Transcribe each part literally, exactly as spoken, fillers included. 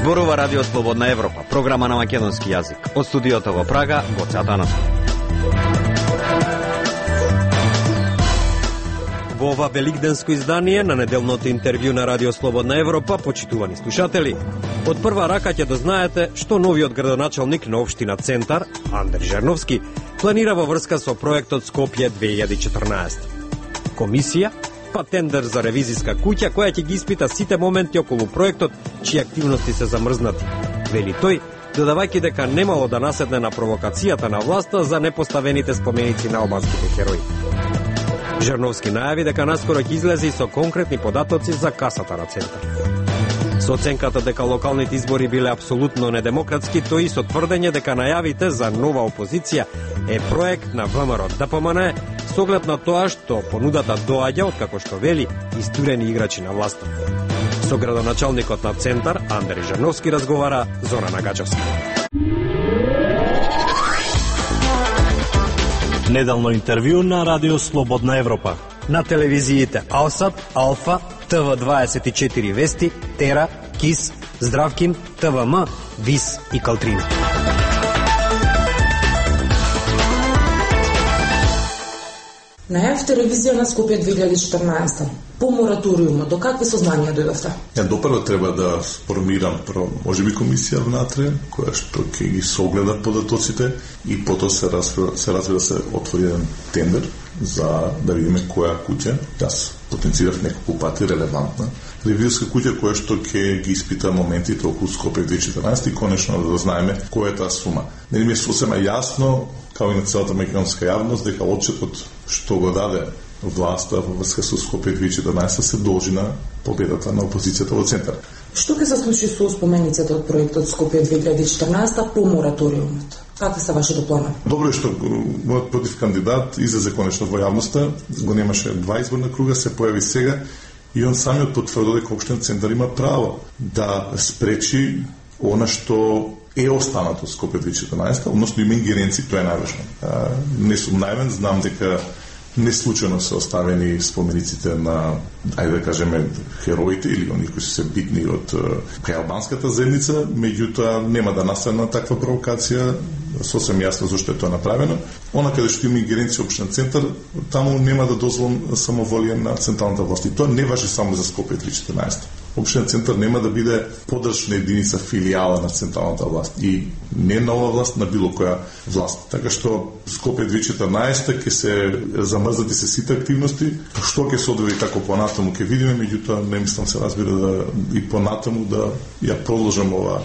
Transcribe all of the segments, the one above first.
Зборува Радио Слободна Европа, програма на македонски јазик. Од студиото во Прага, Гоце Атанасов. Во ова великденско издание на неделното интервју на Радио Слободна Европа, почитувани слушатели, од прва рака ќе дознаете што новиот градоначалник на општина Центар, Андер Жерновски, планира во врска со проектот Скопје две илјади и четрнаесета. Комисија, па тендер за ревизиска куќа која ќе ги испита сите моменти околу проектот, чии активности се замрзнати. Вели тој, додавајќи дека немало да наседне на провокацијата на власта за непоставените споменици на албанските херои. Жерновски најави дека наскоро ќе излезе и со конкретни податоци за касата на Центар. Со оценката дека локалните избори биле апсолутно недемократски, тој и со тврдење дека најавите за нова опозиција е проект на ВМРО ДПМН, со оглед на тоа што понудата доаѓа од, како што вели, истурени играчи на власта. Со градоначалникот на Центар, Андер Жерновски, разговара Зона Нагаджевска. Неделно интервју на Радио Слободна Европа. На телевизиите Алсат, Алфа, Т В дваесет и четири Вести, Тера, Кис, Здравкин, Т В М, Вис и Калтрина. Најавте ревизија на Скопје две илјади и четрнаесета. По мораториумот, до какви сознанија дојдовте? Ја допрво треба да сформирам прво, можеби комисија внатре, која што ќе ги согледа податоците и потоа се развива се, развива, се отвори еден тендер за да видиме која куќа, јас потенцирав неколку пати релевантна ревизиска куќа која што ќе ги испита моментите околу Скопје две илјади и четрнаесета и конечно да знаеме која е таа сума. Нели ми е сосема јасно, као и на целата македонска јавност, дека отчетот што го даде власта во врска со Скопје две илјади и четрнаесета се должи на победата на опозицијата во Центар. Што ќе се случи со спомениците од проектот Скопје две илјади и четрнаесета по мораториумот? Какви се вашите планови? Добро е што мојот против кандидат излезе конечно во јавноста, го немаше два изборна круга, се појави сега и он самиот потврди дека општина Центар има право да спречи она што е останато Скопје две илјади и четрнаесета, односно има ингеренци, тоа е најважно. Не сум наивен, знам дека не случајно се оставени спомениците на, ајде да кажеме, хероите или оние кои се битни од кај албанската заедница, меѓутоа нема да настане таква провокација, сосем јасно зашто е тоа направено. Она каде што има ингеренција општина Центар, таму нема да дозволам самоволија на централната власт. И тоа не важи само за Скопје две илјади и четрнаесета. Општина Центар нема да биде подршна единица, филијала на централната власт и не нова власт, на било која власт. Така што Скопје две илјади и четрнаесета ќе се замрзнати се сите активности, што ќе се одвији како понатаму ќе видиме, меѓутоа не мислам се разбира да и понатаму да ја продолжам ова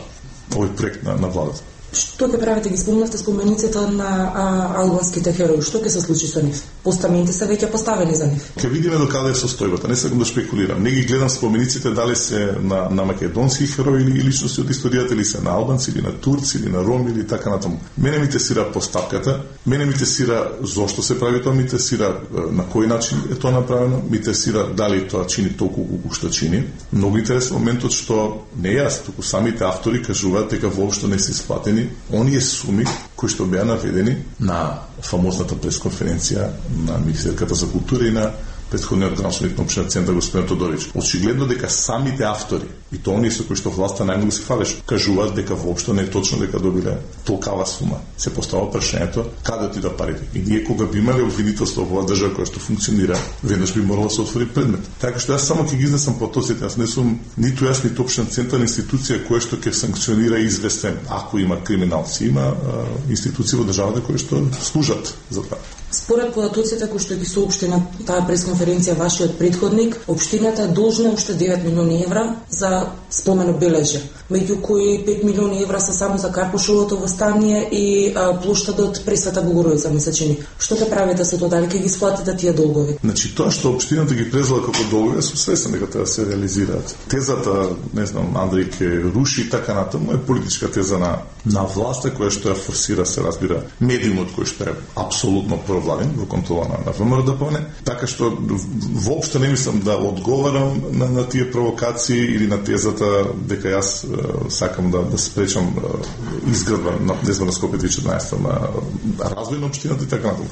овој проект на, на владата. Што ќе правите? Ги спомнавте спомениците на а, албанските херои. Што ќе се случи со нив? Постаменти се веќе поставени за нив. Ќе видиме до каде е состојбата. Не сакам да шпекулирам. Не ги гледам спомениците дали се на, на македонски херои или личности од историјата, или се на албанци, или на турци, или на роми, или така натаму. Мене ми тесира постапката, мене ми тесира зошто се прави тоа, ми тесира на кој начин е тоа направено, ми тесира дали тоа чини толку колку што чини. Многу интересен моментот што не јас, туку самите автори кажуваат дека воопшто не се исплатени оние суми кои што беа наведени на фамозната пресконференција на Министерката за култура и на претходниот градоначалник на општина Центар господин Тодорич. Очигледно дека самите автори и тоа оние со кои што власта најмногу се фалеш, кажуваат дека воопшто не е точно дека добиле толкава сума. Се поставува прашањето каде отида парите. И ние кога би имале обвинителство во оваа држава која што функционира, веднаш би морало да се отвори предмет. Така што јас само ќе ги изнесам потоците, јас не сум ниту јас ниту општина Центар институција која што ќе санкционира известен ако има криминалци, има а, институции во државата кои што служат за тоа. Според податоците кои што ги соопшти на таа пресконференција вашиот претходник, општината е должна уште девет милиони евра за спомен обележје, меѓу кои пет милиони евра се само за Карпушовото востание и а, плоштадот Пресвета Богородица, ми се чини. Што ќе правите со тоа, дали ќе ги исплатите тие долгови? Значи тоа што општината ги презела како долгови, сум свесен дека треба да се реализираат. Тезата, не знам, Андреј ќе руши така натаму е политичка теза на на власта која што ја форсира, се разбира, медиумот кој што е апсолутно провладен во контрола на, на ВМРО ДПМН, така што воопшто не мислам да одговарам на, на тие провокации или на тезата дека јас е, сакам да, да спречам е, изградба на дезба на Скопје две илјади и четрнаесета на развој на општината и така натаму.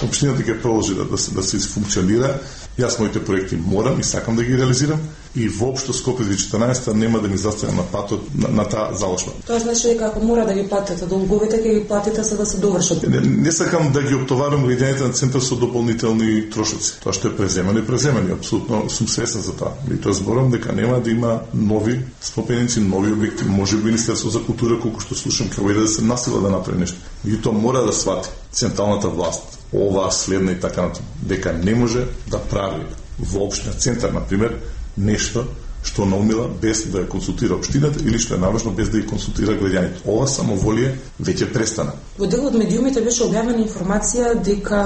Општината ќе продолжи да, да, се, да се функционира Јас моите проекти морам и сакам да ги реализирам и воопшто Скопје две тисачи и четинаесетта нема да ми заставам на патот на, на таа заложба. Тоа значи дека ако мора да ги платите долговите, ќе ги платите за да се довршат. Не, не сакам да ги оптоварам граѓаните на центар со дополнителни трошоци. Тоа што е преземано и преземано, апсолутно сум свесен за тоа. И тоа зборам дека нема да има нови спопеници, нови објекти, може би Министерство за култура, колку што слушам, ќе да се насила да направи нешто. И тоа мора да свати централната власт, ова следна и така натаму, дека не може да прави во општина центар, например, нешто што наумила без да ја консултира општината или што е наважно без да ја консултира граѓаните. Ова самоволие веќе престана. Во дел од медиумите беше објавена информација дека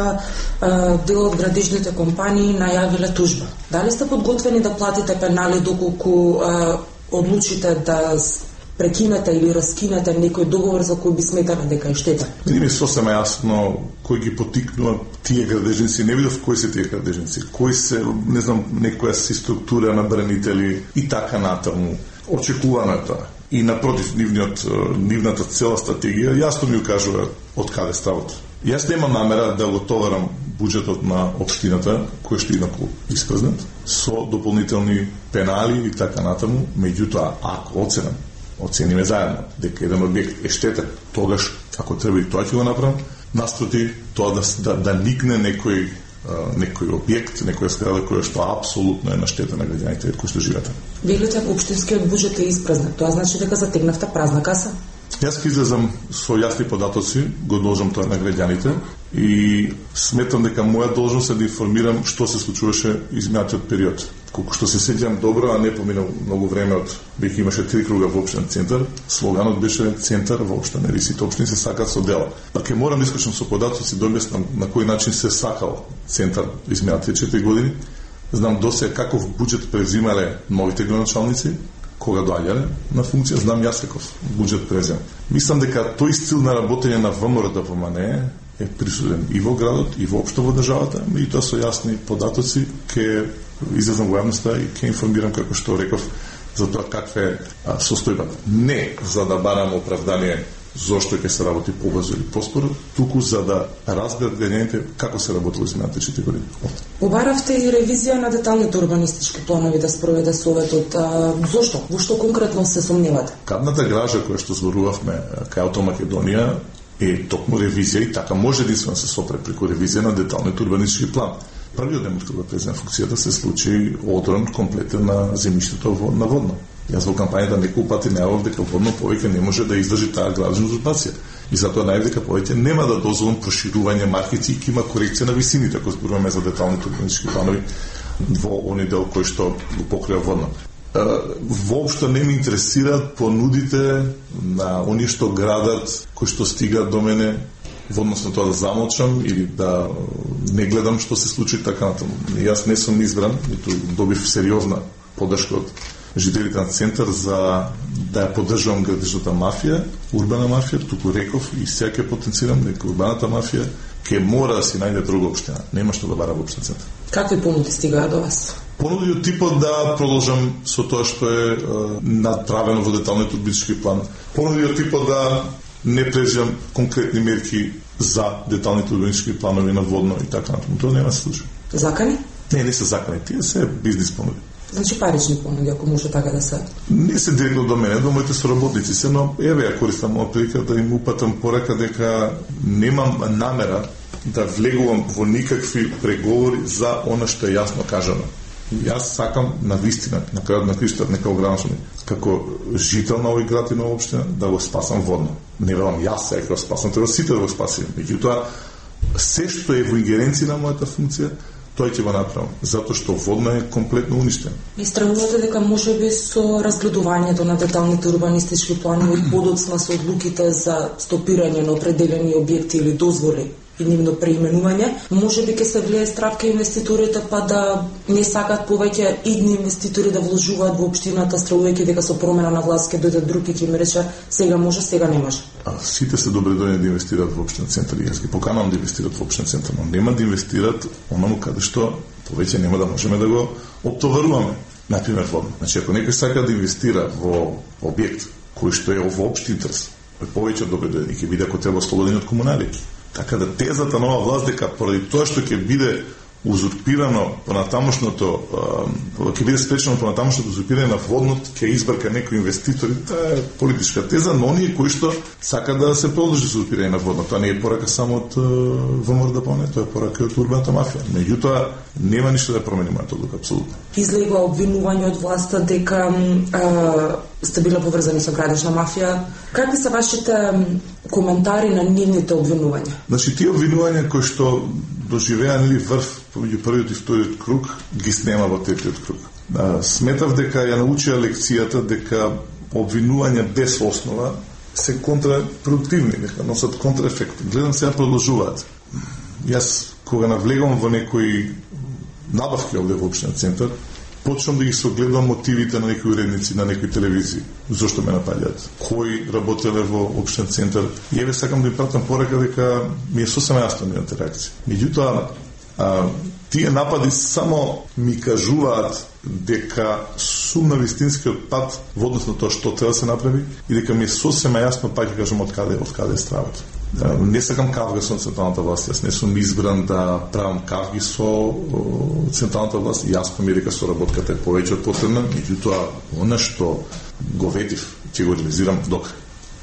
а, дел од градежните компании најавиле тужба. Дали сте подготвени да платите пенали доколку а, одлучите да прекинете или раскинете некој договор за кој би сметале дека е штета? Не ми е сосема јасно кој ги потикнува тие градежници, не видов кои се тие градежници, кои се, не знам, некоја си структура на бранители и така натаму. Очекувано е тоа. И напротив, нивниот, нивната цела стратегија јасно ми укажува од каде стават. Јас немам намера да го товарам буџетот на општината, кој што инаку испразнат, со дополнителни пенали и така натаму, меѓутоа, ако оценам, оцениме заедно дека еден објект е штетен, тогаш, ако треба и тоа ќе го направам, наспроти тоа да, да, да никне некој, некој објект, некоја зграда која што апсолутно е на штета на граѓаните кои што живеат. Велите општинскиот буџет е испразнат, тоа значи дека затегнавте празна каса? Јас ќе излезам со јасни податоци, го должам тоа на граѓаните и сметам дека моја должност е да информирам што се случуваше изминатиот период. Колку што се сеќавам добро, а не поминал многу време од веќе имаше три круга во општинен центар, слоганот беше центар во општина, нели сите општини се сакаат со дела. Па ќе морам да исклучам со податоци да објаснам на кој начин се сакал центар изминатите четири години. Знам досега каков буџет презимале новите градоначалници, кога доаѓале на функција, знам јас каков буџет презем. Мислам дека тој стил на работење на ВМРО да помане е присуден и во градот, и воопшто во државата, и тоа со јасни податоци ќе излезам во јавноста и ќе информирам, како што реков, за тоа каква е состојбата. Не за да барам оправдание зошто ќе се работи побрзо или поспоро, туку за да разберат граѓаните како се работило изминатите четири години. Побаравте и ревизија на деталните урбанистички планови да спроведе Советот. А, зошто? Во што конкретно се сомневате? Кадната гража која што зборувавме кај Авто Македонија е токму ревизија и така може единствено се сопре преку ревизија на деталниот урбанистички план. Првиот ден од кога презема функцијата се случи одрон комплетен на земјиштето на Водно. Јас во кампањата неколку пати најавав дека Водно повеќе не може да издржи таа градежна узурпација. И затоа најав дека повеќе нема да дозволам проширување маркици и има корекција на висините, ако зборуваме за деталните урбанистички планови во оној дел кој што го покрива Водно. Воопшто не ме интересираат понудите на оние што градат, кои што стигаат до мене, во однос на тоа да замолчам или да не гледам што се случи така натаму. Јас не сум избран, ниту добив сериозна поддршка од жителите на центар за да ја поддржувам градежната мафија, урбана мафија, туку реков и сега ќе потенцирам дека урбаната мафија ќе мора да си најде друга општина. Нема што да бара во општина центар. Какви понуди стигаат до вас? Понуди од типот да продолжам со тоа што е, е направено во деталниот урбанистички план. Понуди од типот да не преземам конкретни мерки за деталните урбанистички планови на Водно и така натаму. Тоа нема се случи. Закани? Не, не се закани. Тие се бизнис понуди. Значи парични понуди, ако може така да се... Не се директно до мене, до моите соработници се, но еве ја користам моја прилика да им упатам порака дека немам намера да влегувам во никакви преговори за она што е јасно кажано. Јас сакам на вистина, на крајот на криштата, нека ограничам, како жител на овој град и на општина, да го спасам Водно. Не велам јас сега да го спасам, треба сите да го спасим. Меѓутоа, се што е во ингеренција на мојата функција, тој ќе го направам, затоа што Водно е комплетно уништен. И стравувате дека може би со разгледувањето на деталните урбанистички планови подоцна со одлуките за стопирање на определени објекти или дозволи и нивно преименување, може би ќе се влие страв кај инвеститорите, па да не сакаат повеќе идни инвеститори да вложуваат во општината, стравувајќи дека со промена на власт ќе дојде друг и ќе им рече сега може, сега не може. А сите се добредојни да инвестираат во општинен центар и јас ги поканувам да инвестираат во општинен центар, но нема да инвестираат онаму каде што повеќе нема да можеме да го оптоваруваме. Например, Водно. Значи, ако некој сака да инвестира во објект кој што е во општи интерес, повеќе од добредојни ќе биде ако треба ослободени од комунали. Така да тезата на оваа власт дека поради тоа што ќе биде узурпирано понатамошното, ќе биде спречено понатамошното узурпирање на воднот, ќе избрка некои инвеститори, тоа е политичка теза, но оние кои што сака да се продолжи узурпирање на воднот, тоа не е порака само од ВМРО, тоа е порака од урбаната мафија. Меѓутоа, нема ништо да промени мојата одлука, апсолутно. Излегува обвинување од власта дека а, сте биле поврзани со градежна мафија. Какви се вашите коментари на нивните обвинувања? Значи, тие обвинувања кои што доживеа нели врв помеѓу првиот и вториот круг, ги снема во третиот круг. А, сметав дека ја научија лекцијата дека обвинувања без основа се контрапродуктивни, дека носат контраефект. Гледам сега продолжуваат. Јас кога навлегам во некои набавки овде во општина Центар, почнам да ги согледам мотивите на некои уредници на некои телевизии. Зошто ме напаѓаат? Кои работеле во општин Центар? И еве сакам да им пратам порака дека ми е сосема јасно нивната реакција. Меѓутоа, а, тие напади само ми кажуваат дека сум на вистинскиот пат во однос на тоа што треба да се направи и дека ми е сосема јасно, пак ќе кажам, од каде, од каде е стравата. Не сакам кавга со централната власт, јас не сум избран да правам кавги со централната власт, јасно ми е дека соработката е повеќе од потребна, меѓутоа, она што го ветив, ќе го реализирам до крај.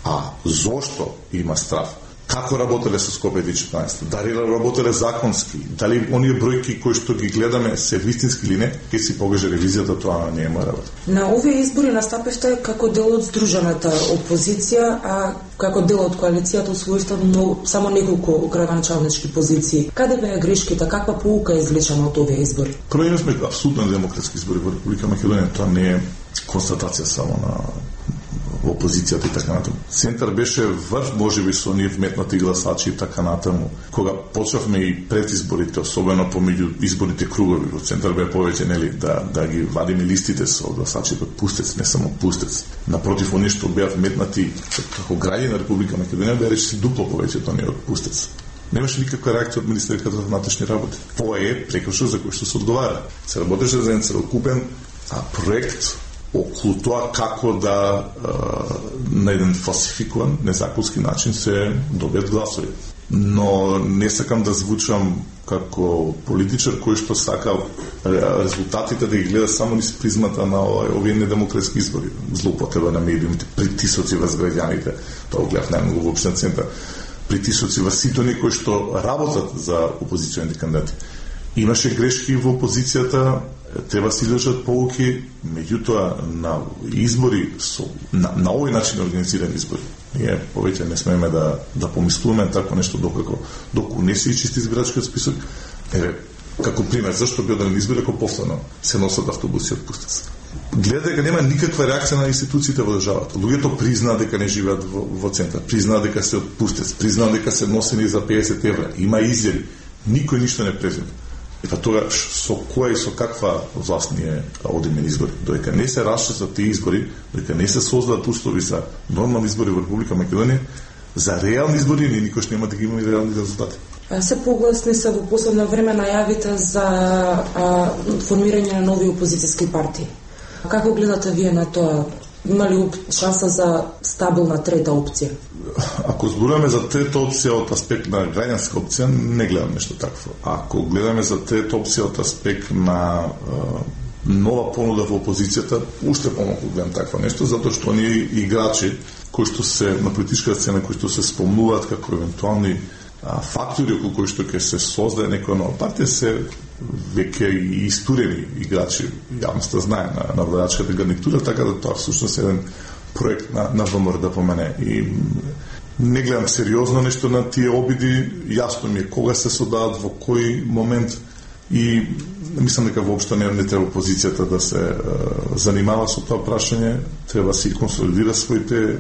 А зошто има страв? Како работеле со Скопје две тисачи и четинаесетта? Дали работеле законски? Дали оние бројки кои што ги гледаме се вистински или не? Ке си покаже ревизијата, тоа не е моја работа. На овие избори настапивте како дел од здружената опозиција, а како дел од коалицијата усвоивте само неколку градоначалнички позиции. Каде беа грешките? Каква поука е извлечена од овие избори? Прво имавме апсолутно демократски избори во Република Македонија. Тоа не е констатација само на опозицијата и така натаму. Центар беше врв, можеби со оние вметнати гласачи и така натаму. Кога почнавме и пред изборите, особено помеѓу изборните кругови, во Центар бе повеќе нели да да ги вадиме листите со гласачите од Пустец, не само Пустец. Напротив, оние што беа вметнати како граѓани на Република Македонија беа речиси дупло повеќе од оние од Пустец. Немаше никаква реакција од Министерството за внатрешни работи. Тоа е прекршок за кој што се одговара. Се работеше за еден целокупен а, проект околу тоа како да а, на еден фалсификуван, незаконски начин се добијат гласови. Но не сакам да звучам како политичар кој што сака резултатите да ги гледа само низ призмата на овие недемократски избори. Злоупотреба на медиумите, притисоци врз граѓаните, тоа го гледав најмногу во општина Центар, притисоци врз сите оние кои што работат за опозиционите кандидати. Имаше грешки во опозицијата, треба се извлечат поуки, меѓутоа на избори со на, на овој начин организирани избори. Ние повеќе не смееме да да помислуваме тако нешто докако доколку не се чисти избирачкиот список. Еве, како пример, зашто би одделен избори ако повторно се носат автобуси од Пустец. Гледа дека нема никаква реакција на институциите во државата. Луѓето признаат дека не живеат во, во Центар, признаат дека се од Пустец, признаат дека се носени за педесет евра. Има изјави. Никој ништо не презима. И па тогаш со која и со каква власт ние одиме на избори. Додека не се расчистат тие избори, додека не се создадат услови за нормални избори во Република Македонија, за реални избори ние никош нема да ги имаме реални резултати. Се погласни се во последно време најавите за а, формирање на нови опозицијски партии. Како гледате вие на тоа? Има ли шанса за стабилна трета опција? Ако зборуваме за трета опција од аспект на граѓанска опција, не гледам нешто такво. Ако гледаме за трета опција од аспект на е, нова понуда во опозицијата, уште помалку гледам такво нешто, затоа што оние играчи кои што се на политичка сцена, кои што се спомнуваат како евентуални а, фактори околу кои што ќе се создаде некоја нова партија, се веќе и истурени играчи, јавноста знае на, на владачката гарнитура, така да тоа всушност е еден проект на, на ВМРО да помене. И не гледам сериозно нешто на тие обиди, јасно ми е кога се содават, во кој момент, и мислам дека воопшто не, не треба опозицијата да се е, занимава со тоа прашање, треба да си консолидира своите е,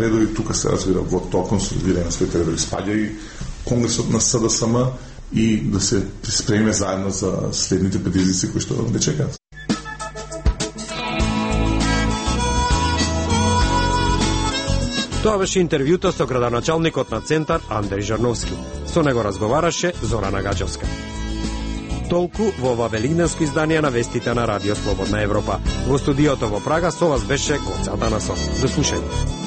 редови, тука се разбира во тоа консолидирање на своите редови спаѓа и Конгресот на СДСМ и да се спремиме заедно за следните предизвици кои што не чекаат. Тоа беше интервјуто со градоначалникот на Центар Андреј Жарновски. Со него разговараше Зорана Гаџевска. Толку во ова велигденско издание на вестите на Радио Слободна Европа. Во студиото во Прага со вас беше Гоце Атанасов. До слушање.